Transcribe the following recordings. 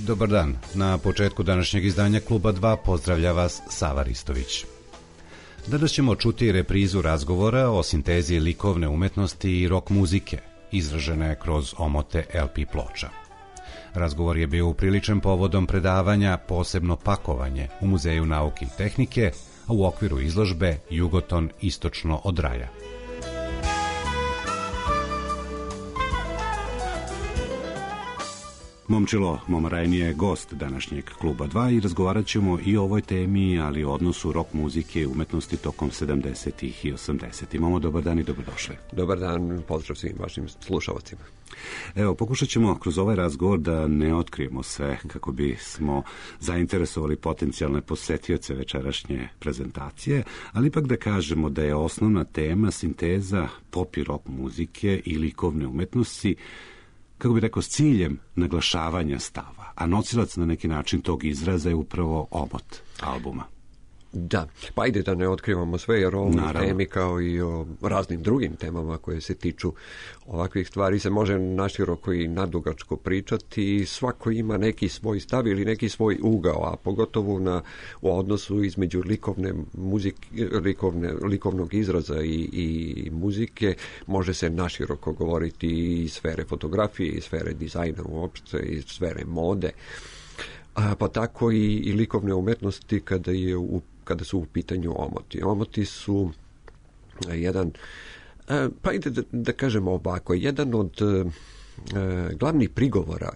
Dobar dan. Na početku današnjeg izdanja Kluba 2 pozdravlja vas Sava Ristović. Danas ćemo čuti reprizu razgovora o sintezi likovne umetnosti i rock muzike, izražene kroz omote LP ploča. Razgovor je bio upriličen povodom predavanja Posebno pakovanje u Muzeju nauke i tehnike, a u okviru izložbe Jugoton istočno od raja. Momčilo Momarajni je gost današnjeg Kluba 2 i razgovarat ćemo i o ovoj temi, ali o odnosu rock muzike i umetnosti tokom 70. i 80. Momo, dobar dan i dobrodošli. Dobar dan, pozdrav svim vašim slušalcima. Evo, pokušat ćemo kroz ovaj razgovor da ne otkrijemo sve kako bi smo zainteresovali potencijalne posetioce večerašnje prezentacije, ali ipak da kažemo da je osnovna tema sinteza pop i rock muzike i likovne umetnosti, kako bi rekao, s ciljem naglašavanja stava, a nosilac na neki način tog izraza je upravo omot albuma. Da, pa ajde da ne otkrivamo sve, jer o ovoj temi kao i o raznim drugim temama koje se tiču ovakvih stvari se može naširoko i nadugačko pričati i svako ima neki svoj stav ili neki svoj ugao, a pogotovo u odnosu između likovnog izraza i muzike može se naširoko govoriti i iz sfere fotografije, iz sfere dizajna uopšte, iz sfere mode. Pa tako i likovne umetnosti kada su u pitanju omoti. Omoti su jedan, pa ide da kažemo ovako, jedan od glavnih prigovora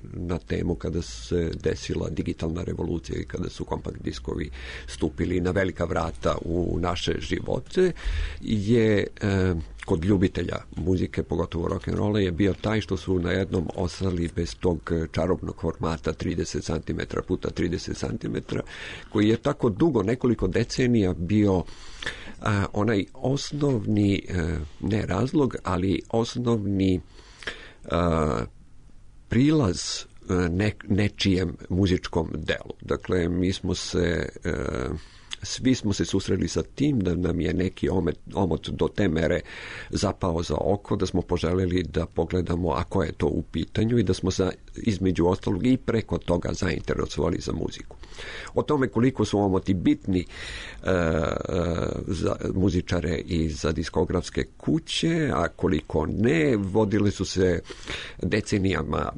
na temu kada se desila digitalna revolucija i kada su kompakt diskovi stupili na velika vrata u naše živote je kod ljubitelja muzike, pogotovo rock'n'rolla, je bio taj što su na jednom ostali bez tog čarobnog formata 30 cm puta 30 cm, koji je tako dugo, nekoliko decenija bio onaj osnovni, ne razlog, ali osnovni prilaz nečijem muzičkom delu. Dakle, svi smo se susreli sa tim da nam je neki omot do te mere zapao za oko, da smo poželjeli da pogledamo ako je to u pitanju i da smo se između ostalog i preko toga zainteresovali za muziku. O tome koliko su omoti bitni za muzičare i za diskografske kuće, a koliko ne, vodili su se decenijama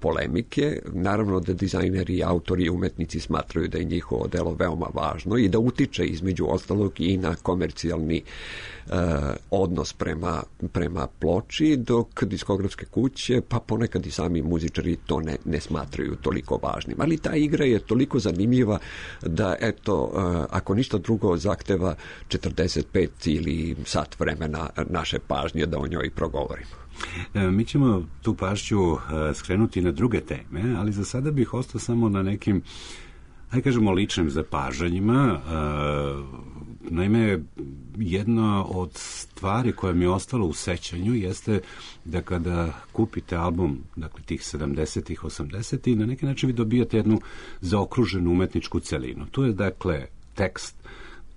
polemike. Naravno da dizajneri, autori i umetnici smatraju da je njihovo delo veoma važno i da utiče između ostalog i na komercijalni odnos prema ploči, dok diskografske kuće, pa ponekad i sami muzičari to ne smatraju toliko važnim. Ali ta igra je toliko zanimljiva da, eto, ako ništa drugo zahteva 45 ili sat vremena naše pažnje da o njoj progovorimo. Mi ćemo tu pažnju skrenuti na druge teme, ali za sada bih ostao samo na nekim, hajde kažemo, ličnim zapažanjima. Naime, jedna od stvari koja mi je ostala u sećanju jeste da kada kupite album, dakle tih 70-ih, 80-ih, na neki način vi dobijate jednu zaokruženu umetničku celinu. Tu je, dakle, tekst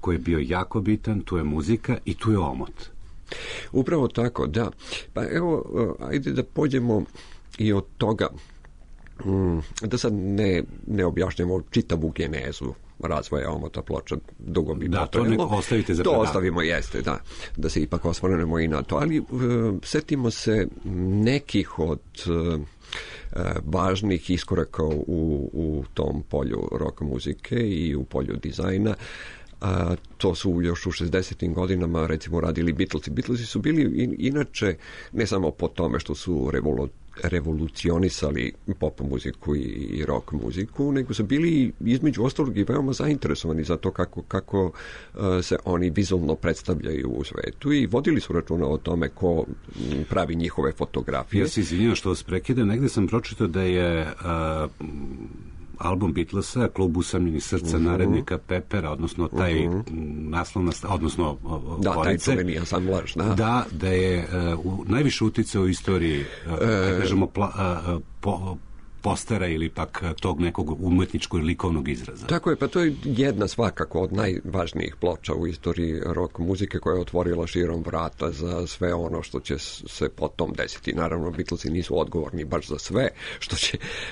koji je bio jako bitan, tu je muzika i tu je omot. Upravo tako, da. Pa evo, ajde da pođemo i od toga, da sad ne objašnjamo čitavu genezu razvoja omota ploča, dugo bi potrajalo. Da, to ostavite za predavanje. To ostavimo, jeste, da se ipak osvrnemo i na to. Ali setimo se nekih od važnih iskoraka u tom polju rock muzike i u polju dizajna. To su još u 60. godinama recimo radili Beatlesi. Beatlesi su bili inače ne samo po tome što su revolucionisali pop muziku i rock muziku, nego su bili između ostalog i veoma zainteresovani za to kako se oni vizualno predstavljaju u svetu i vodili su računa o tome ko pravi njihove fotografije. Ja se izvinjam što vas prekidam, negde sam pročitao da je album Beatlesa, Klub usamljenih srca narednika Pepera, odnosno taj naslovna, odnosno taj čuveni ansamblaž, da je najviše uticao u istoriji, kažemo, postera ili pak tog nekog umetničkog ili likovnog izraza. Tako je, pa to je jedna svakako od najvažnijih ploča u istoriji rock muzike koja je otvorila širom vrata za sve ono što će se potom desiti. Naravno, Beatlesi nisu odgovorni baš za sve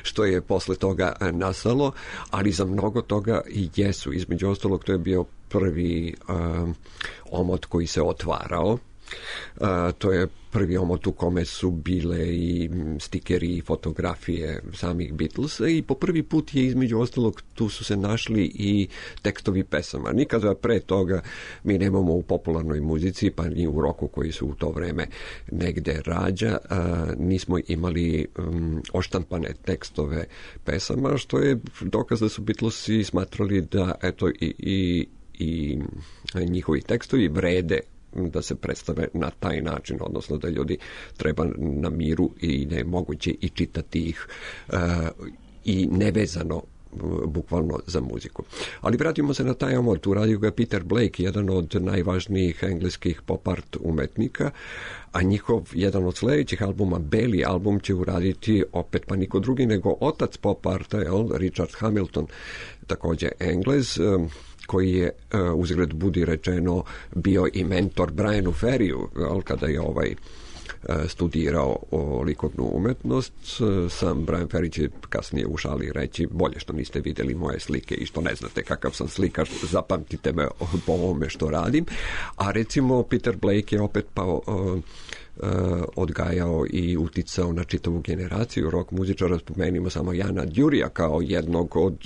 što je posle toga nastalo, ali za mnogo toga i jesu. Između ostalog, to je bio prvi omot koji se otvarao. To je prvi omot u kome su bile i stikeri i fotografije samih Beatlesa i po prvi put je između ostalog tu su se našli i tekstovi pesama. Nikada pre toga mi nemamo u popularnoj muzici, pa ni u roku koji su u to vreme negde rađa, nismo imali oštampane tekstove pesama, što je dokaz da su Beatlesi smatrali da eto i njihovi tekstovi vrede da se predstave na taj način, odnosno da ljudi treba na miru i da je moguće i čitati ih i nevezano bukvalno za muziku. Ali vratimo se na taj omot, uradio ga Peter Blake, jedan od najvažnijih engleskih pop art umetnika, a njihov jedan od sledećih albuma, Belly album, će uraditi opet pa niko drugi nego otac pop arta, Richard Hamilton, takođe Englez, koji je, uzgled budi rečeno, bio i mentor Brianu Ferriju, kada je studirao likovnu umetnost. Sam Brian Ferry će kasnije u šali reći: bolje što niste vidjeli moje slike i što ne znate kakav sam slikar, zapamtite me po ovome što radim. A recimo Peter Blake je opet odgajao i uticao na čitavu generaciju rock muzičara. Spomenimo samo Jana Djurija kao jednog od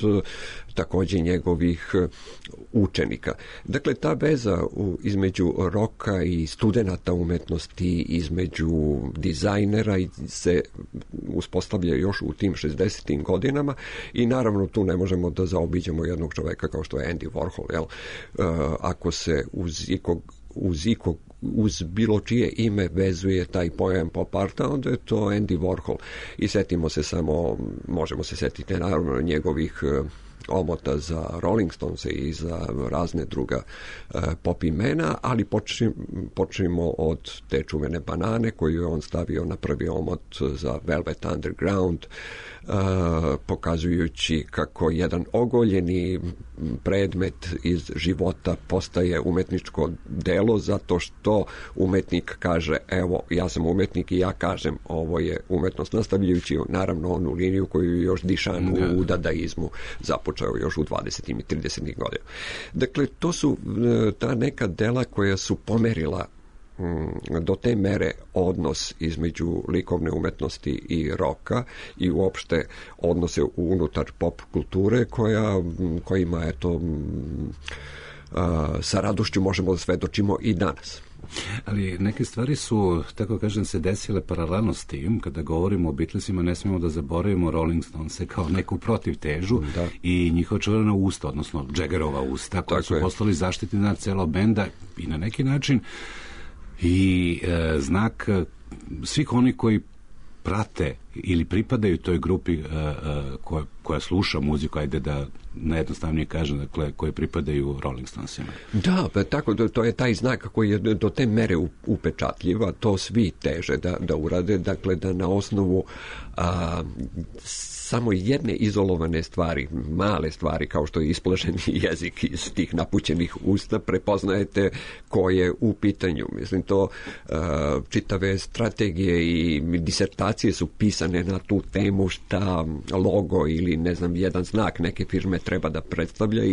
takođe njegovih učenika. Dakle, ta veza između roka i studenata umetnosti, između dizajnera se uspostavlja još u tim 60. godinama i naravno tu ne možemo da zaobiđemo jednog čoveka kao što je Andy Warhol. Ako se uz bilo čije ime vezuje taj pojam pop arta, onda je to Andy Warhol. I setimo se samo, možemo se setiti naravno njegovih omota za Rolling Stones i za razne druga pop imena, ali počnemo od te čuvene banane koju je on stavio na prvi omot za Velvet Underground, pokazujući kako jedan ogoljeni predmet iz života postaje umetničko delo zato što umetnik kaže: evo, ja sam umetnik i ja kažem ovo je umetnost, nastavljajući naravno onu liniju koju još Dišan u dadaizmu započeo još u 20. i 30. godina. Dakle, to su ta neka dela koja su pomerila do te mere odnos između likovne umetnosti i roka i uopšte odnose unutar pop kulture kojima eto sa radošću možemo da svedočimo i danas. Ali neke stvari su, tako kažem, se desile paralelno s tim. Kada govorimo o Beatlesima, ne smijemo da zaboravimo Rolling Stonese kao neku protivtežu i njihova čuvena usta, odnosno Jaggerova usta, koji su postali zaštitni znak celog benda i na neki način i znak svih onih koji prate ili pripadaju toj grupi koja sluša muziku, ajde da najjednostavnije kažem, dakle, koji pripadaju Rolling Stonesima. Da, tako, to je taj znak koji je do te mere upečatljiva, to svi teže da urade, dakle, da na osnovu samo jedne izolovane stvari, male stvari, kao što je isplašeni jezik iz tih napućenih usta, prepoznajete ko je u pitanju. Mislim, to čitave strategije i disertacije su pisane na tu temu šta logo ili, ne znam, jedan znak neke firme treba da predstavlja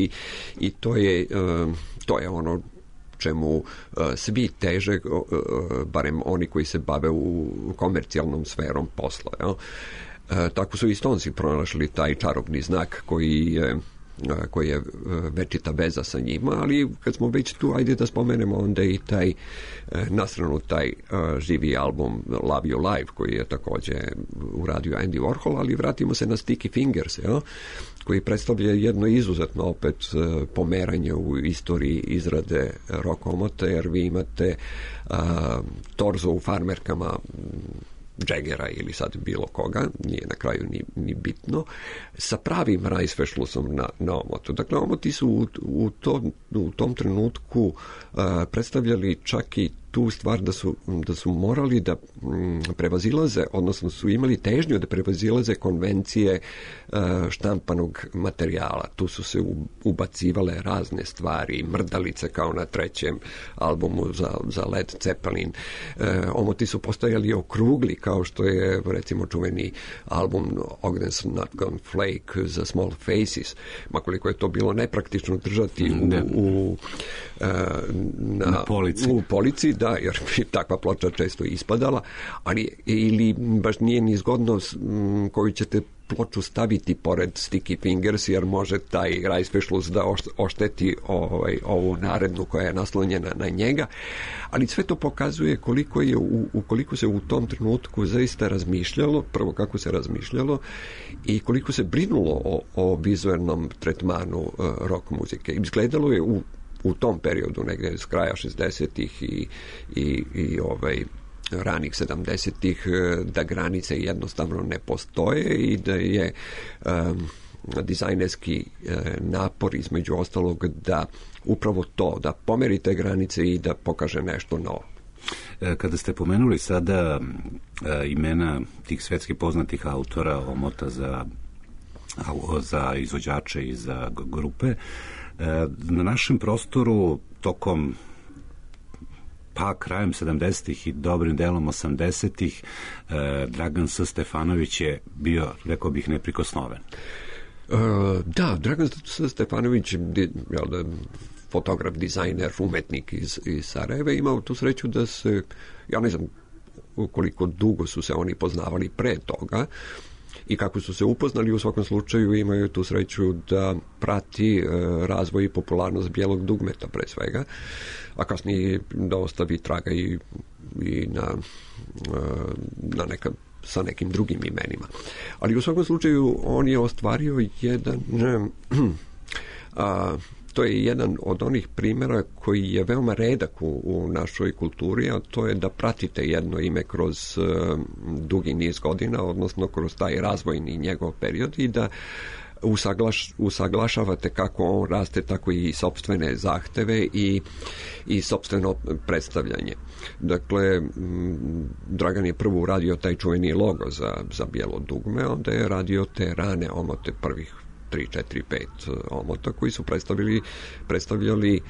i to je ono čemu svi teže, barem oni koji se bave u komercijalnom sferom posla. Tako su i Stonesi pronašli taj čarobni znak koji je večita veza sa njima, ali kad smo već tu, ajde da spomenemo onda i na stranu taj živi album Love You Live, koji je takođe uradio Andy Warhol, ali vratimo se na Sticky Fingers, koji predstavlja jedno izuzetno opet pomeranje u istoriji izrade rock omota, jer vi imate torzo u farmerkama Jaggera ili sad bilo koga, nije na kraju ni bitno, sa pravim rajsfešlusom na omotu. Dakle, omoti su u tom trenutku predstavljali čak i tu stvar da su morali da prevazilaze, odnosno su imali težnju da prevazilaze konvencije štampanog materijala. Tu su se ubacivale razne stvari, mrdalice kao na trećem albumu za Led Zeppelin. Omoti su postojali okrugli, kao što je recimo čuveni album Ogden's Not Gonna Flake za Small Faces. Makoliko je to bilo nepraktično držati na polici. U polici, da, jer bi takva ploča često ispadala, ali ili baš nije ni zgodno koju ćete ploču staviti pored Sticky Fingers, jer može taj Reißverschluss da ošteti ovu narednu koja je naslonjena na njega, ali sve to pokazuje koliko se u tom trenutku zaista razmišljalo, prvo kako se razmišljalo i koliko se brinulo o vizualnom tretmanu rock muzike. Izgledalo je u tom periodu, negdje s kraja 60-ih i ranih 70-ih, da granice jednostavno ne postoje i da je dizajnerski napor između ostalog da upravo to, da pomeri te granice i da pokaže nešto novo. Kada ste pomenuli sada imena tih svetski poznatih autora, omota za izvođače i za grupe, na našem prostoru tokom krajem 70-ih i dobrim delom 80-ih Dragan S. Stefanović je bio, rekao bih, neprikosnoven. Da, Dragan S. Stefanović, fotograf, dizajner, umetnik iz Sarajeva, imao tu sreću da se, ja ne znam koliko dugo su se oni poznavali pre toga i kako su se upoznali, u svakom slučaju imaju tu sreću da prati razvoj i popularnost bijelog dugmeta pre svega, a kasnije da ostavi traga i na neka sa nekim drugim imenima. Ali u svakom slučaju on je ostvario jedan to je jedan od onih primjera koji je veoma redak u našoj kulturi, a to je da pratite jedno ime kroz dugi niz godina, odnosno kroz taj razvojni njegov period i da usaglašavate kako on raste, tako i sopstvene zahteve i sopstveno predstavljanje. Dakle, Dragan je prvo uradio taj čuveni logo za bijelo dugme, onda je radio te rane omote prvih 3, 4, 5 omota koji su predstavljali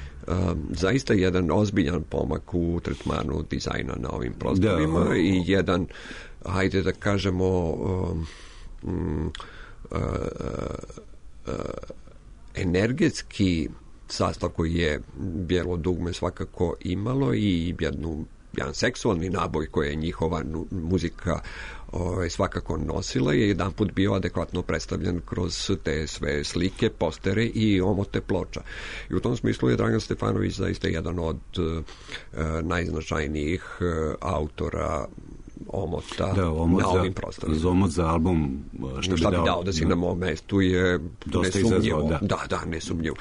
zaista jedan ozbiljan pomak u tretmanu dizajna na ovim prostorima i jedan, hajde da kažemo, energetski sastav koji je bijelo dugme svakako imalo i jedan seksualni naboj koji je njihova muzika svakako nosila je jedanput bio adekvatno predstavljen kroz te sve slike, postere i omote ploča. I u tom smislu je Dragan Stefanović zaista jedan od najznačajnijih autora omota na ovim prostorima. Omot za album Šta bi dao da si na mom mestu je nesumnjivo. Da, nesumnjivo.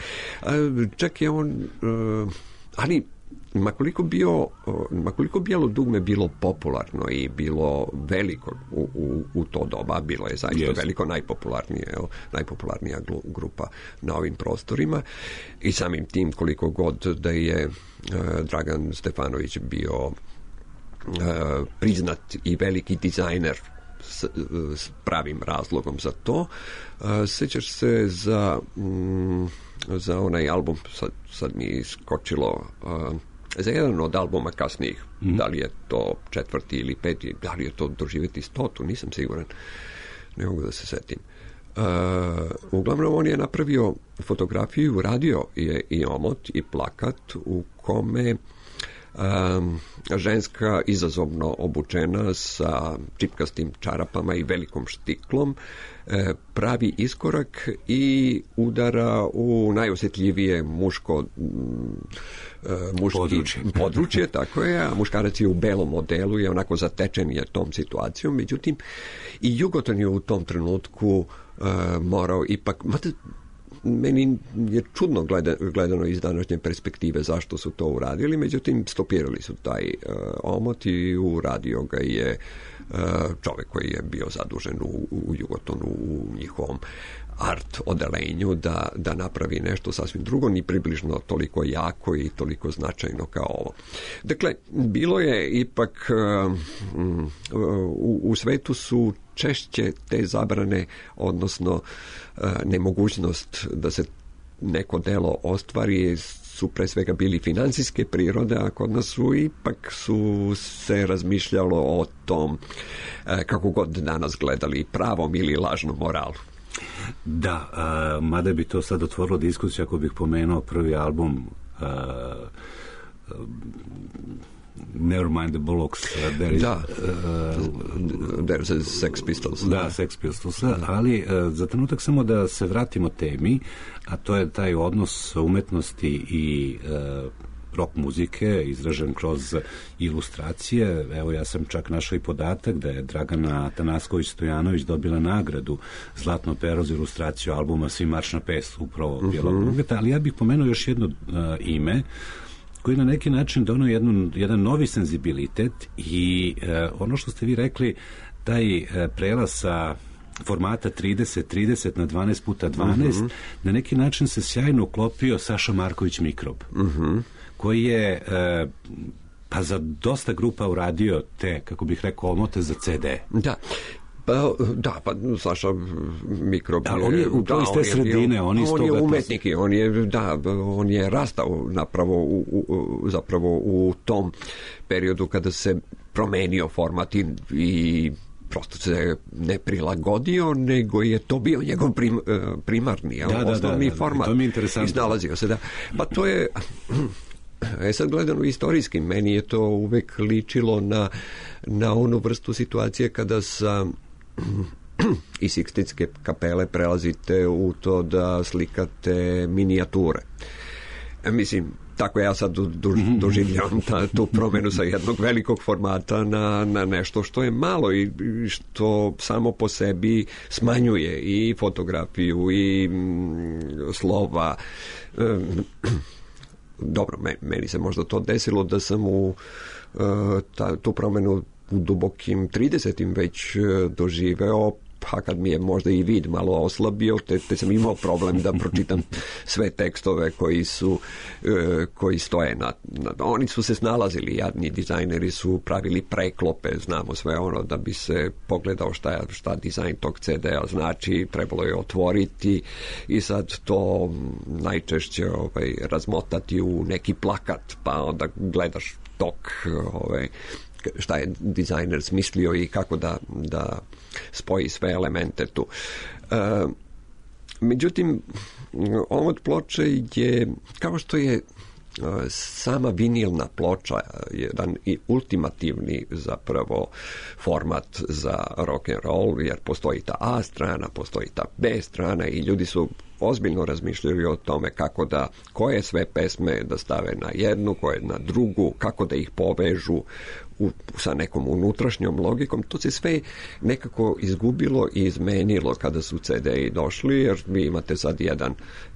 Čak je on ali makoliko bijelo dugme bilo popularno i bilo veliko u to doba, bilo je zaista veliko, najpopularnija grupa na ovim prostorima i samim tim koliko god da je Dragan Stefanović bio priznat i veliki dizajner s pravim razlogom za to. Sećaš se za onaj album, sad mi iskočilo, za jedan od albuma kasnijih, da li je to 4. ili 5. da li je to Doživjeti 100, nisam siguran, ne mogu da se setim. Uglavnom on je napravio fotografiju, radio je i omot i plakat u kome ženska izazovno obučena sa čipkastim čarapama i velikom štiklom pravi iskorak i udara u najosjetljivije muško područje, tako je, a muškarac je u belom modelu i onako zatečen je tom situacijom, međutim i Jugoton je u tom trenutku morao ipak, meni je čudno gledano iz današnje perspektive zašto su to uradili, međutim stopirali su taj omot i uradio ga je čovjek koji je bio zadužen u Jugotonu u njihovom art odelenju da napravi nešto sasvim drugo, ni približno toliko jako i toliko značajno kao ovo. Dakle, bilo je ipak u svetu su češće te zabrane, odnosno nemogućnost da se neko delo ostvari, su pre svega bili financijske prirode, a kod nas su se razmišljalo o tom, kako god danas gledali, pravom ili lažnom moralu. Da, mada bi to sad otvorilo diskusiju ako bih pomenuo prvi album Nevermind the Bollocks. There's a Sex Pistols. Da, Sex Pistols. Ali za trenutak samo da se vratimo temi, a to je taj odnos umetnosti i rock muzike izražen kroz ilustracije. Evo, ja sam čak našao i podatak da je Dragana Tanasković-Stojanović dobila nagradu Zlatno pero za ilustraciju albuma Svi marš na pes, upravo Bijelog Drugeta, ali ja bih pomenuo još jedno ime koji na neki način donio jedan novi senzibilitet i ono što ste vi rekli, taj prelaz sa formata 30 na 12 puta 12, na neki način se sjajno uklopio Saša Marković Mikrob, koji je pa za dosta grupa uradio te, kako bih rekao, omote za CD. Pa Saša Mikrob on je u iz te sredine, on je umetnik i on je rastao zapravo u tom periodu kada se promenio format i prosto se ne prilagodio, nego je to bio njegov primarni, osnovni format. To mi je interesantno. Iznalazio se, Pa to je... sad gledano istorijski, meni je to uvek ličilo na onu vrstu situacije kada sa iz Sikstinske kapele prelazite u to da slikate minijature. Mislim, tako ja sad doživljavam tu promenu sa jednog velikog formata na nešto što je malo i što samo po sebi smanjuje i fotografiju i slova. Dobro, meni se možda to desilo da sam tu promenu u dubokim 30. već doživeo, pa kad mi je možda i vid malo oslabio, te sam imao problem da pročitam sve tekstove koji stoje oni su se snalazili, jadni dizajneri su pravili preklope, znamo sve ono, da bi se pogledao šta dizajn tog CD-a znači, trebalo je otvoriti i sad to najčešće razmotati u neki plakat, pa onda gledaš tok šta je dizajner smislio i kako da spoji sve elemente tu. Međutim, omot ploče je, kao što je sama vinilna ploča jedan i ultimativni zapravo format za rock and roll, jer postoji ta A strana, postoji ta B strana i ljudi su ozbiljno razmišljali o tome koje sve pesme da stave na jednu, koje na drugu, kako da ih povežu sa nekom unutrašnjom logikom. To se sve nekako izgubilo i izmenilo kada su CD-i došli, jer vi imate sad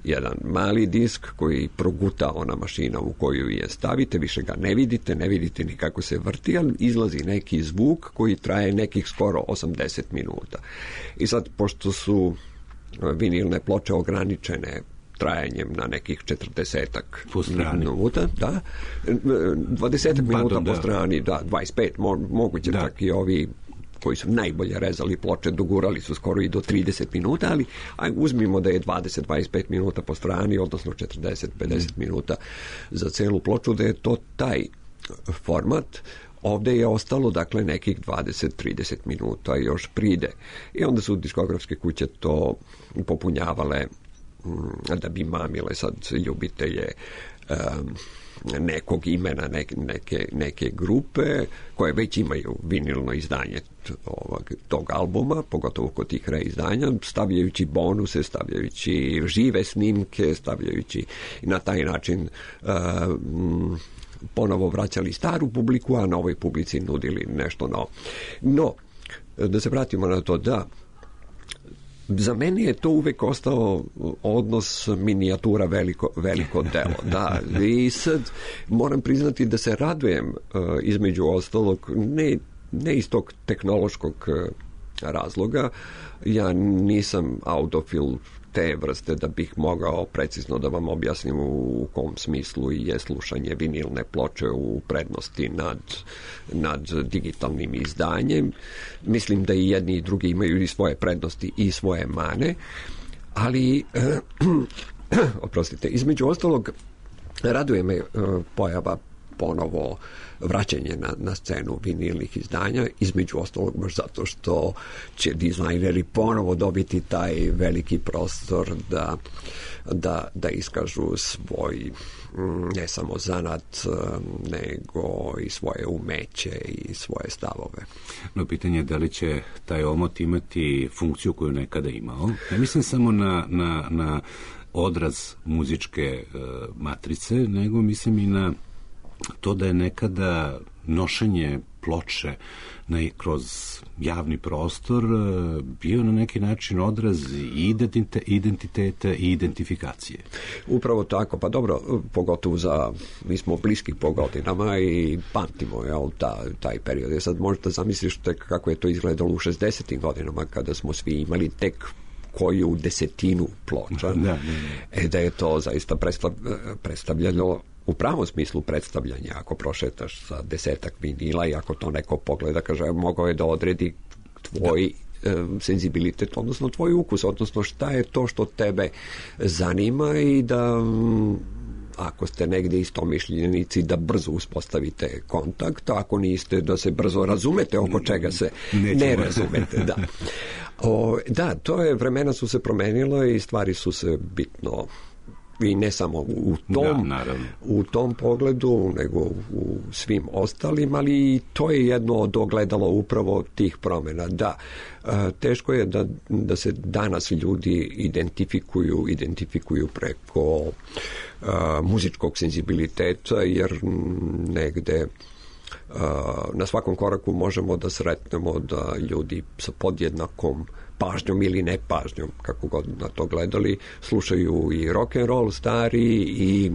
jedan mali disk koji proguta ona mašina u koju je stavite, više ga ne vidite ni kako se vrti, ali izlazi neki zvuk koji traje nekih skoro 80 minuta. I sad, pošto su vinilne ploče ograničene trajanjem na nekih 40-ak minuta, 20 minuta po strani, 25, moguće čak i ovi koji su najbolje rezali ploče dogurali su skoro i do 30 minuta, ali uzmimo da je 20-25 minuta po strani, odnosno 40-50 minuta za celu ploču, da je to taj format. Ovde je ostalo, dakle, nekih 20-30 minuta još pride. I onda su diskografske kuće to popunjavale da bi mamile sad ljubitelje nekog imena, neke grupe koje već imaju vinilno izdanje tog albuma, pogotovo kod tih reizdanja, stavljajući bonuse, stavljajući žive snimke, stavljajući i na taj način ponovo vraćali staru publiku, a novoj publici nudili nešto novo. No, da se vratimo na to, za mene je to uvek ostao odnos minijatura veliko delo. I sad moram priznati da se radujem između ostalog, ne iz tog tehnološkog razloga. Ja nisam audofil te vrste da bih mogao precizno da vam objasnim u kom smislu je slušanje vinilne ploče u prednosti nad digitalnim izdanjem. Mislim da i jedni i drugi imaju i svoje prednosti i svoje mane, ali oprostite, između ostalog raduje me pojava ponovo vraćanje na scenu vinilnih izdanja, između ostalog baš zato što će dizajneri ponovo dobiti taj veliki prostor da iskažu svoj ne samo zanat, nego i svoje umeće i svoje stavove. No, pitanje je da li će taj omot imati funkciju koju nekada imao. Ne mislim samo na odraz muzičke matrice, nego mislim i na to da je nekada nošenje ploče kroz javni prostor bio na neki način odraz i identiteta i identifikacije. Upravo tako, pa dobro, pogotovo mi smo bliski po godinama i pamtimo taj period. Ja sad možete zamisliti kako je to izgledalo u 60. godinama kada smo svi imali tek koju desetinu ploča. Da je to zaista predstavljalo u pravom smislu predstavljanja. Ako prošetaš sa 10 vinila i ako to neko pogleda, kaže, mogao je da odredi tvoj senzibilitet, odnosno tvoj ukus, odnosno šta je to što tebe zanima i da ako ste negdje istomišljenici da brzo uspostavite kontakt, ako niste da se brzo razumete oko čega se ne razumete. Da, to je, vremena su se promenila i stvari su se bitno i ne samo u tom pogledu, nego u svim ostalim, ali to je jedno od ogledalo upravo tih promjena. Da, teško je da se danas ljudi identifikuju preko muzičkog senzibiliteta, jer negde na svakom koraku možemo da sretnemo da ljudi sa podjednakom pažnjom ili nepažnjom, kako god na to gledali, slušaju i rock and roll stari i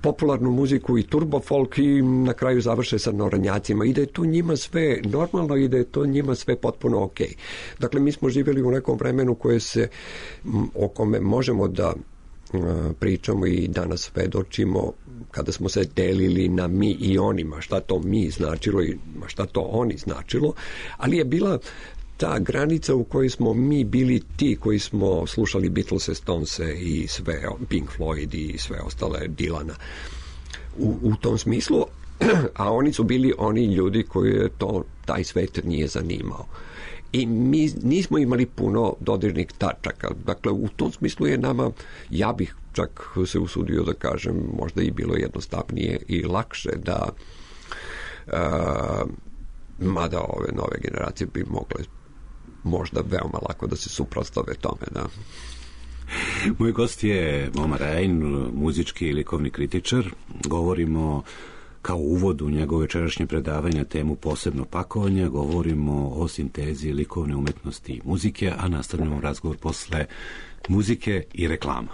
popularnu muziku i turbo folk i na kraju završe sa narodnjacima i da je to njima sve normalno i da je to njima sve potpuno ok. Dakle, mi smo živjeli u nekom vremenu o kome možemo da pričamo i danas svedočimo kada smo se delili na mi i onima, šta to mi značilo i šta to oni značilo, ali je bila ta granica u kojoj smo mi bili ti koji smo slušali Beatlese, Stonese i sve, Pink Floyd i sve ostale, Dylana u tom smislu, a oni su bili oni ljudi koji je taj svet nije zanimao. I mi nismo imali puno dodirnih tačaka. Dakle, u tom smislu je nama, ja bih čak se usudio da kažem, možda i bilo jednostavnije i lakše da mada ove nove generacije bi mogle možda veoma lako da se suprotstave tome, da. Moj gost je Moma Rajn, muzički i likovni kritičar. Govorimo kao uvod u njegove večerašnje predavanja temu posebno pakovanja, govorimo o sintezi likovne umetnosti i muzike, a nastavljamo razgovor posle muzike i reklama.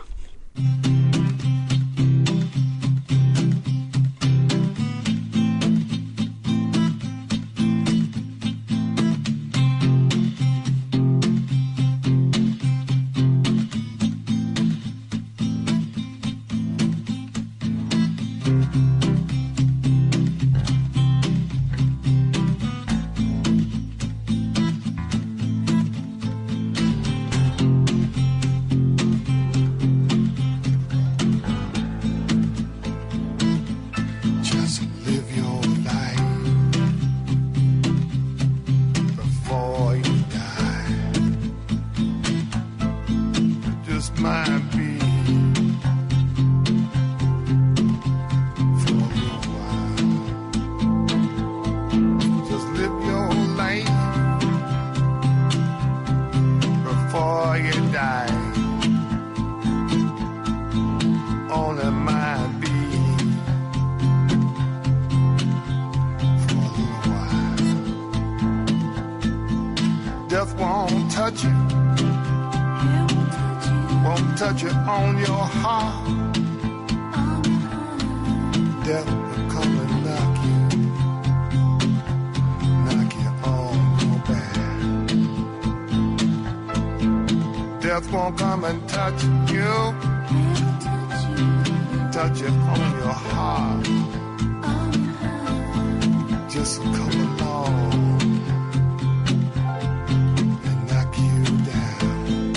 Touch it on your heart. Death will come and knock you on your back. else won't come and touch you. Touch it on your heart. Just come along and knock you down.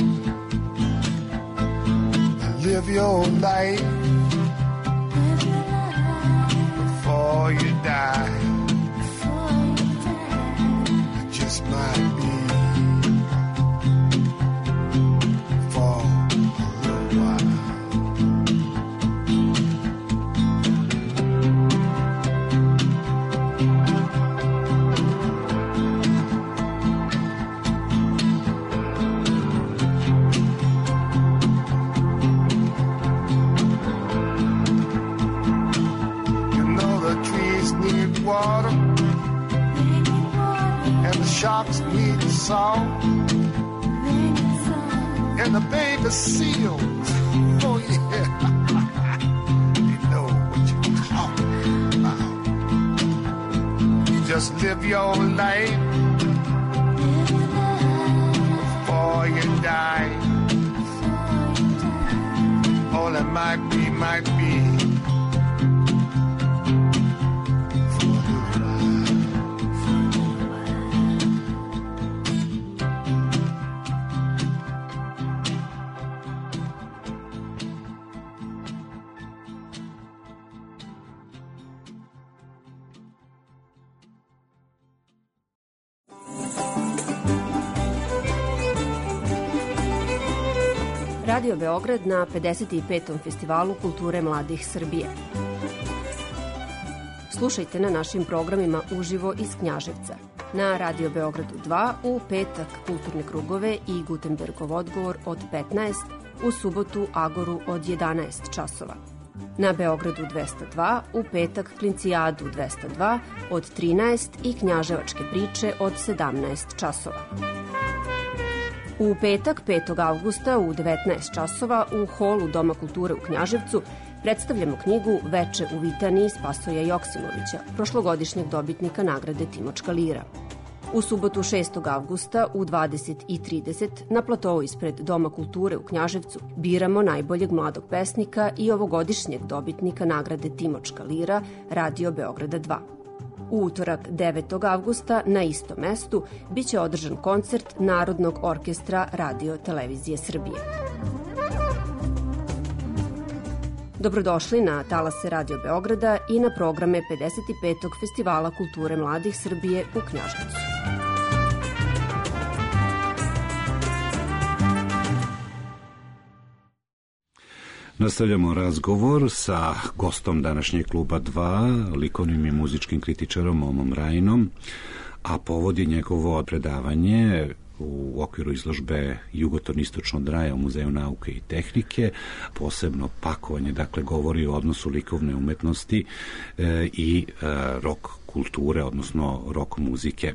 Now live your life before you die. It just might be for a little while. Water, and the sharks need salt, and the baby seals, oh yeah, they know what you're talking about. You just live your life before you die. All it might be, might be. Radio Beograd na 55. festivalu kulture mladih Srbije. Slušajte na našim programima uživo iz Knjaževca. Na Radio Beogradu 2 u petak kulturne krugove i Gutenbergov odgovor od 15, u subotu Agoru od 11 časova. Na Beogradu 202 u petak Klincijadu 202 od 13 i Knjaževačke priče od 17 časova. U petak 5. avgusta u 19 časova u holu Doma kulture u Knjaževcu predstavljamo knjigu Veče u Vitaniji Spasoja Joksimovića, prošlogodišnjeg dobitnika nagrade Timočka lira. U subotu 6. avgusta u 20:30 na platovu ispred Doma kulture u Knjaževcu biramo najboljeg mladog pesnika i ovogodišnjeg dobitnika nagrade Timočka lira Radio Beograda 2. U utorak 9. avgusta na istom mestu biće održan koncert Narodnog orkestra Radio Televizije Srbije. Dobrodošli na talase Radio Beograda i na programe 55. festivala kulture mladih Srbije u Knjaževcu. Nastavljamo razgovor sa gostom današnjeg kluba 2, likovnim i muzičkim kritičarom Momom Rajinom, a povod je njegovo predavanje u okviru izložbe Jugoton istočno od raja u Muzeju nauke i tehnike. Posebno pakovanje, dakle, govori o odnosu likovne umetnosti i rock kulture, odnosno rock muzike.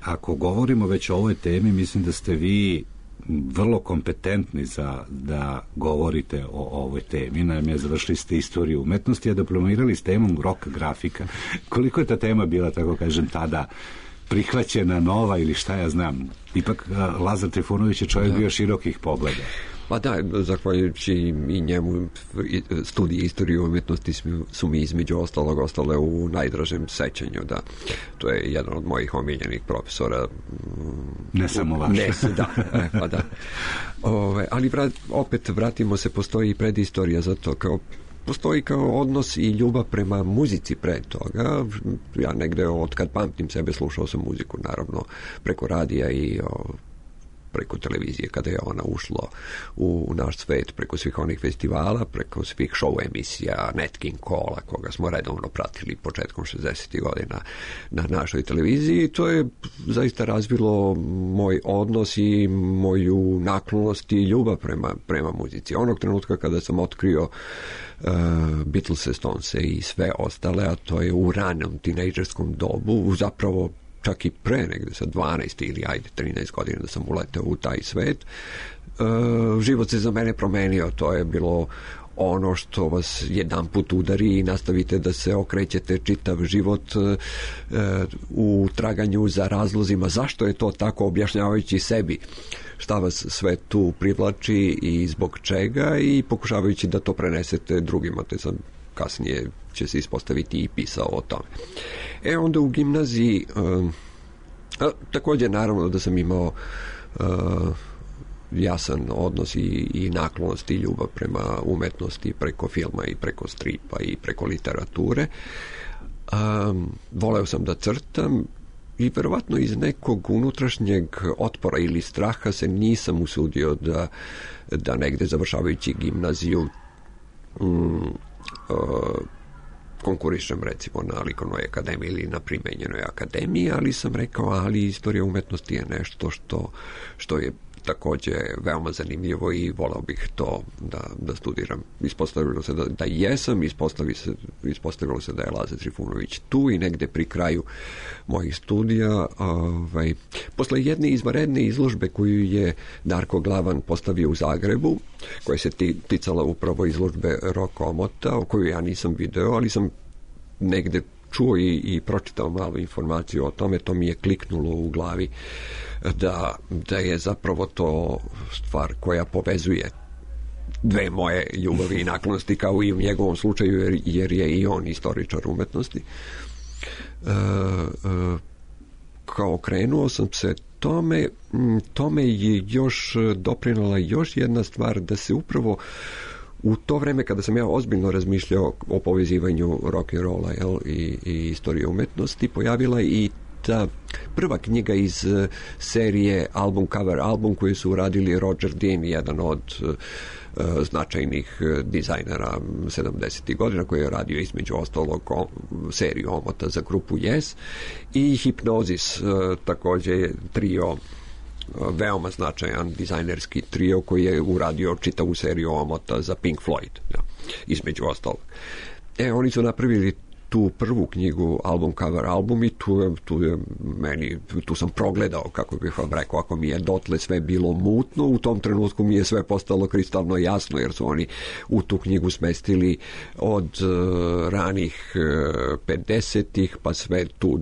Ako govorimo već o ovoj temi, mislim da ste vi vrlo kompetentni da govorite o ovoj temi. Naime, završili ste istoriju umetnosti, a diplomirali s temom rock grafika. Koliko je ta tema bila, tako kažem, tada prihvaćena, nova ili šta ja znam? Ipak Lazar Trifunović je čovjek bio širokih pogleda. Pa da, zahvaljujući i njemu studije istorije umjetnosti su mi između ostalog ostale u najdražem sećanju, da. To je jedan od mojih omiljenih profesora. Ne samo vaš. Pa da. Ali opet vratimo se, postoji i predistorija za to, postoji kao odnos i ljubav prema muzici pre toga. Ja negde od kad pamtim sebe slušao sam muziku, naravno, preko radija i preko televizije, kada je ona ušla u naš svet, preko svih onih festivala, preko svih show emisija, Nat King Cole, koga smo redovno pratili početkom 60. godina na našoj televiziji. To je zaista razvilo moj odnos i moju naklonost i ljubav prema muzici. Onog trenutka kada sam otkrio Beatlese, Stonese i sve ostale, a to je u ranom tinejdžerskom dobu, zapravo čak i pre negde sa 12 ili 13 godina da sam uletao u taj svet, život se za mene promenio. To je bilo ono što vas jedan put udari i nastavite da se okrećete čitav život u traganju za razlozima zašto je to tako, objašnjavajući sebi šta vas sve tu privlači i zbog čega, i pokušavajući da to prenesete drugima, te sam kasnije će se ispostaviti i pisao o tome. Onda u gimnaziji također naravno da sam imao jasan odnos i naklonost i ljubav prema umetnosti preko filma i preko stripa i preko literature. Voleo sam da crtam i verovatno iz nekog unutrašnjeg otpora ili straha se nisam usudio da negde završavajući gimnaziju konkurišem recimo na likovnoj akademiji ili na primenjenoj akademiji, ali sam rekao, ali istorija umetnosti je nešto što je također veoma zanimljivo i volao bih to da studiram. Ispostavilo se da jesam, ispostavilo se da je Laza Trifunović tu i negde pri kraju mojih studija. Posle jedne izvanredne izložbe koju je Darko Glavan postavio u Zagrebu, koja se ticala upravo izložbe Roko Omota, o koju ja nisam video, ali sam negde čuo i pročitao malo informaciju o tome, to mi je kliknulo u glavi da je zapravo to stvar koja povezuje dve moje ljubavi i naklonosti, kao i u njegovom slučaju, jer je i on istoričar umetnosti. Kao krenuo sam se tome je još doprinala još jedna stvar, da se upravo u to vreme kada sam ja ozbiljno razmišljao o povezivanju rock'n'rolla i istorije umetnosti, pojavila i ta prva knjiga iz serije album cover album koju su uradili Roger Dean, jedan od značajnih dizajnera 70. godina, koji je radio između ostalog seriju omota za grupu Yes, i Hipnozis, također trio, veoma značajan dizajnerski trio koji je uradio čitavu seriju omota za Pink Floyd, između ostalog. Oni su napravili tu prvu knjigu album cover album i tu sam progledao, kako bih vam rekao, ako mi je dotle sve bilo mutno, u tom trenutku mi je sve postalo kristalno jasno, jer su oni u tu knjigu smestili od ranih 50-ih pa sve tu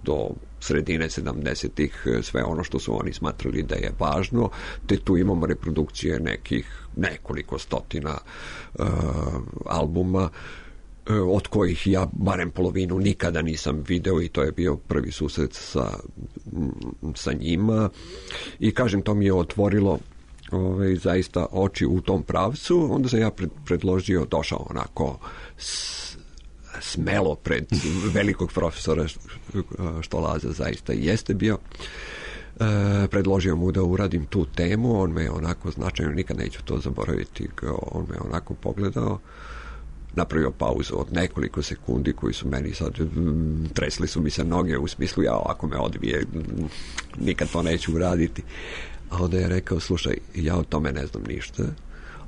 do sredine 70-ih sve ono što su oni smatrali da je važno, te tu imamo reprodukcije nekoliko stotina albuma, od kojih ja barem polovinu nikada nisam video, i to je bio prvi susret sa njima, i kažem, to mi je otvorilo zaista oči u tom pravcu. Onda sam ja predložio, došao onako smelo pred velikog profesora, što Laza zaista jeste bio, predložio mu da uradim tu temu. On me onako značajno, nikad neću to zaboraviti, on me onako pogledao, napravio pauzu od nekoliko sekundi koji su meni sad, tresli su mi se noge u smislu, ja ako me odbije nikad to neću uraditi. A onda je rekao, slušaj, ja o tome ne znam ništa,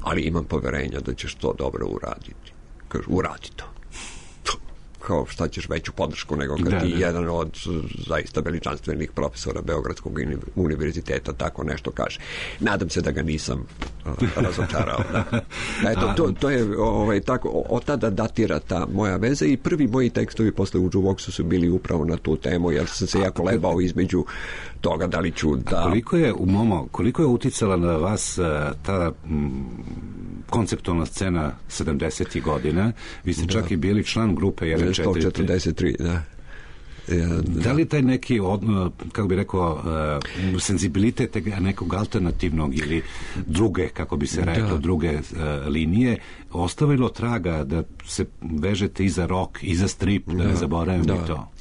ali imam poverenja da ćeš to dobro uraditi. Kaže, uradi to. Kao, šta ćeš veću podršku nego kad ti jedan od zaista veličanstvenih profesora Beogradskog univerziteta tako nešto kaže. Nadam se da ga nisam razočarao. Eto, to je tako, od tada datira ta moja veza, i prvi moji tekstovi posle u Jukeboxu su bili upravo na tu temu, jer sam se jako lebao između toga da li ću da... Koliko je uticala na vas ta konceptualna scena 70. godina? Vi ste čak i bili član grupe 143, da. Da li taj neki, kako bi rekao, senzibilitet nekog alternativnog ili druge, kako bi se reklo, druge linije, ostavilo traga da se vežete i za rock, i za strip, da ne zaboravim i to?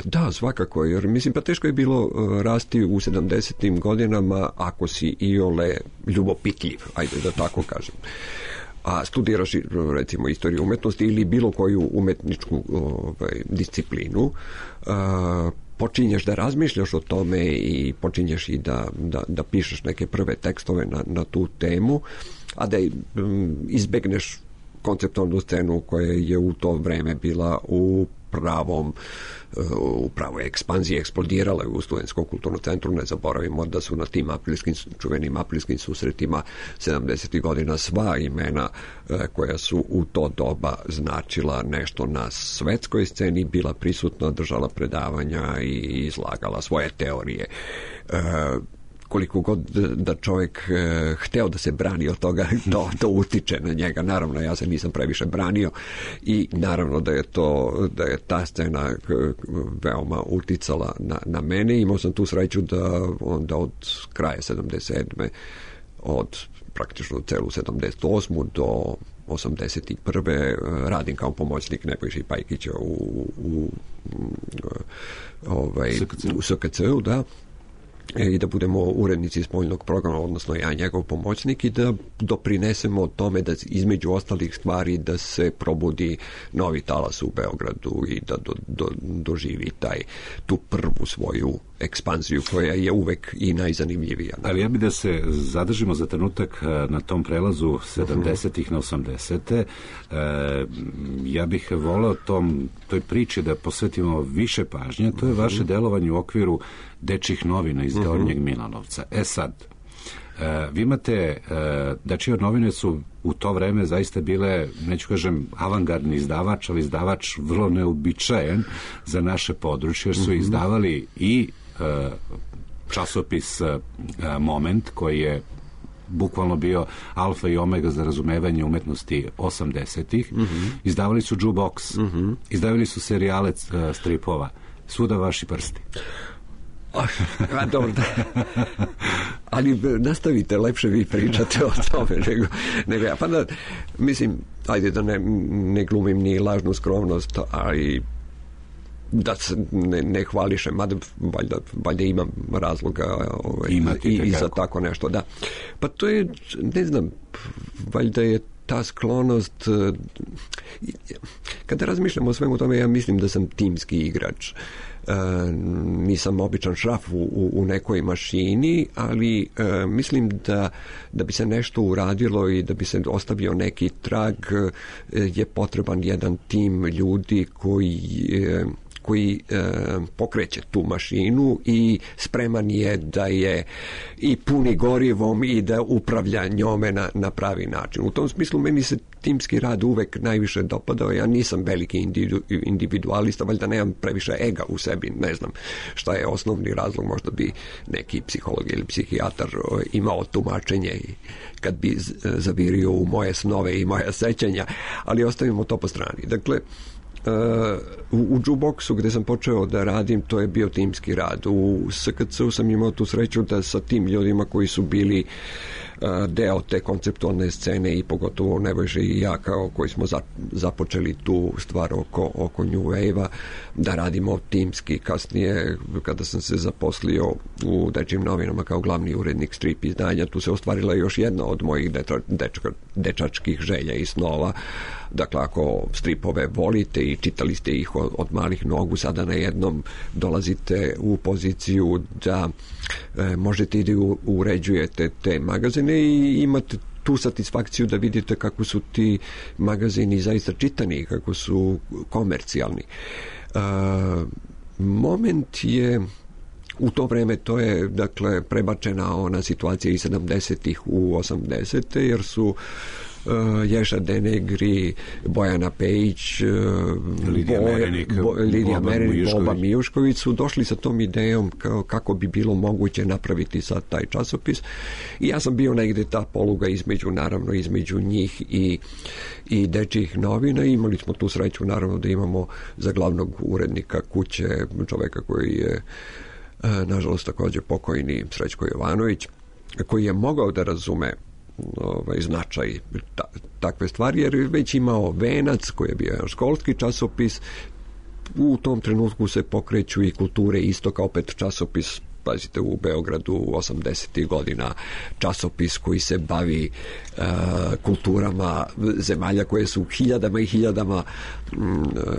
Da, svakako, jer mislim, pa teško je bilo rasti u 70. godinama ako si iole ljubopitljiv, ajde da tako kažem. A studiraš recimo istoriju umetnosti ili bilo koju umetničku disciplinu, počinješ da razmišljaš o tome i počinješ i da pišeš neke prve tekstove na tu temu, a da izbegneš konceptualnu scenu koja je u to vreme bila u pravoj ekspanziji, eksplodirala u Studentskom kulturnom centru. Ne zaboravimo da su na tim čuvenim aprilskim susretima 70. godina sva imena koja su u to doba značila nešto na svetskoj sceni bila prisutna, držala predavanja i izlagala svoje teorije. koliko god da čovjek hteo da se brani od toga, to utiče na njega. Naravno, ja se nisam previše branio i naravno da je ta scena veoma uticala na mene. Imao sam tu sreću da onda od kraja 77. od praktično celu 78. do 81. radim kao pomoćnik Nebojše Pajkića u SKC-u, da, i da budemo urednici spoljnog programa, odnosno ja njegov pomoćnik, i da doprinesemo tome da između ostalih stvari da se probudi novi talas u Beogradu i da doživi tu prvu svoju ekspanziju koja je uvek i najzanimljivija. Ali ja bih da se zadržimo za trenutak na tom prelazu 70-ih na 80-te. Ja bih voleo toj priči da posvetimo više pažnje. To je vaše delovanje u okviru Dečjih novina iz Gornjeg Milanovca. Sad, vi imate, Dečije novine su u to vreme zaista bile, neću kažem avangardni izdavač, ali izdavač vrlo neobičajen za naše područje, jer su izdavali i časopis Moment, koji je bukvalno bio alfa i omega za razumevanje umetnosti 80-ih. Izdavali su jukebox, izdavali su serijale stripova, Svuda vaši prsti. Dobro, ali nastavite, lepše vi pričate o tome nego ja. Pa da, mislim, ajde da ne glumim ni lažnu skromnost, ali da se ne hvališem, mada valjda imam razloga i za tako nešto, da. Pa to je, ne znam, valjda je ta sklonost, kada razmišljam o svemu tome, ja mislim da sam timski igrač. Nisam običan šraf u nekoj mašini, ali mislim da bi se nešto uradilo i da bi se ostavio neki trag, je potreban jedan tim ljudi koji pokreće tu mašinu i spreman je da je i puni gorivom i da upravlja njome na pravi način. U tom smislu meni se timski rad uvek najviše dopadao. Ja nisam veliki individualista, valjda nemam previše ega u sebi, ne znam šta je osnovni razlog, možda bi neki psiholog ili psihijatar imao tumačenje kad bi zavirio u moje snove i moja sećanja, ali ostavimo to po strani. Dakle, u jukeboxu gde sam počeo da radim, to je bio timski rad. U SKC-u sam imao tu sreću da sa tim ljudima koji su bili deo te konceptualne scene i pogotovo Nebojša i ja koji smo započeli tu stvar oko New Wave-a, da radimo timski. Kasnije, kada sam se zaposlio u Dečjim novinama kao glavni urednik strip izdanja, tu se ostvarila još jedna od mojih dečačkih želja i snova. Dakle, ako stripove volite i čitali ste ih od malih nogu, sada na jednom dolazite u poziciju da možete i da uređujete te magazine i imate tu satisfakciju da vidite kako su ti magazini zaista čitani, kako su komercijalni. Moment je u to vreme, to je dakle prebačena ona situacija iz 70-ih u 80-te, jer su Ješa Denegri, Bojana Pejić, Lidija Merenik, Boba Mijušković su došli sa tom idejom kako bi bilo moguće napraviti sad taj časopis. I ja sam bio negde ta poluga između njih i Dečjih novina. Imali smo tu sreću naravno da imamo za glavnog urednika kuće čoveka koji je nažalost također pokojni, Srećko Jovanović, koji je mogao da razume značaj takve stvari, jer je već imao Venac koji je bio školski časopis. U tom trenutku se pokreću i Kulture istoka, opet časopis, pazite, u Beogradu 80. godina, časopis koji se bavi kulturama zemalja koje su hiljadama i hiljadama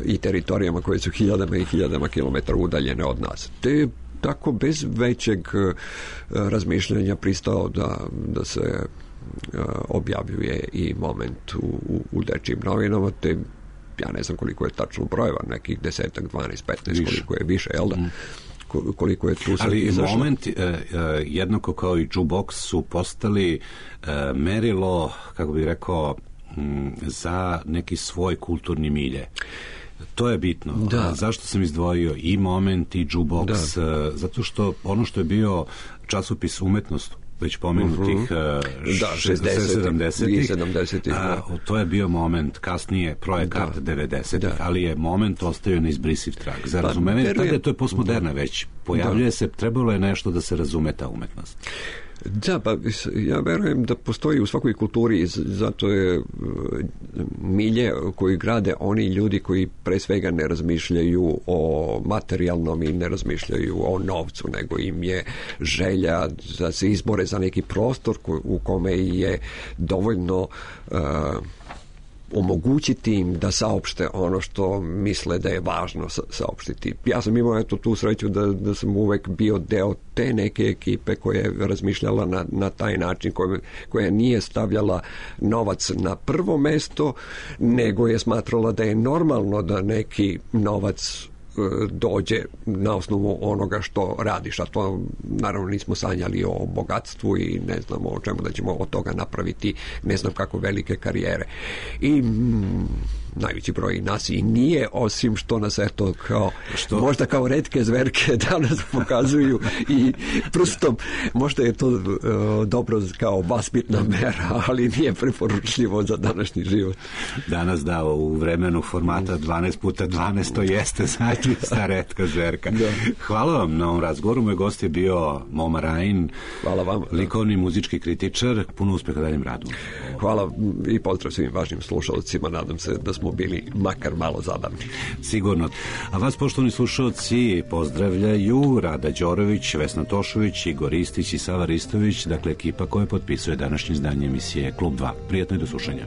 i teritorijama koje su hiljadama i hiljadama kilometara udaljene od nas. Te tako bez većeg razmišljanja pristao da se objavljuje i Moment u Dečjim novinama, te ja ne znam koliko je tačno brojeva, nekih 10, 12, 15, koliko je više, jel da? Koliko je tu sad ali izašlo. Moment, jednako kao i jukebox, su postali merilo, kako bih rekao, za neki svoj kulturni milje. To je bitno. Da. Zašto sam izdvojio i Moment i Jukebox? Zato što ono što je bio časopis Umetnost, već pomenutih 70-ih, to je bio Moment, kasnije Projekat 90-ih, ali je Moment ostao neizbrisiv trag. Za razumevanje, tada je to postmoderna već. Pojavljuje se, trebalo je nešto da se razume ta umetnost. Da, pa ja verujem da postoji u svakoj kulturi, zato je milje koji grade oni ljudi koji pre svega ne razmišljaju o materijalnom i ne razmišljaju o novcu, nego im je želja da se izbore za neki prostor u kome je dovoljno omogućiti im da saopšte ono što misle da je važno saopštiti. Ja sam imao tu sreću da sam uvek bio deo te neke ekipe koja je razmišljala na taj način, koja nije stavljala novac na prvo mesto, nego je smatrala da je normalno da neki novac dođe na osnovu onoga što radiš, a to naravno nismo sanjali o bogatstvu i ne znamo o čemu da ćemo od toga napraviti ne znam kako velike karijere. I najveći broj nas i nije, osim što nas eto kao možda kao retke zverke danas pokazuju i prstom, možda je to dobro kao vaspitna mera, ali nije preporučljivo za današnji život. Danas u vremenu formata 12x12 to jeste zaista retka zverka. Hvala vam na ovom razgovoru. Moj gost je bio Moma Rajin. Hvala vam. Likovni muzički kritičar. Puno uspeha daljem radu. Hvala i pozdrav svim važnim slušalcima. Nadam se da smo bili makar malo zabavni. Sigurno. A vas, poštovani slušalci, pozdravljaju Rada Đorović, Vesna Tošović, Igor Ristić i Sava Ristović, dakle ekipa koja potpisuje današnje izdanje emisije Klub 2. Prijatno i do slušanja.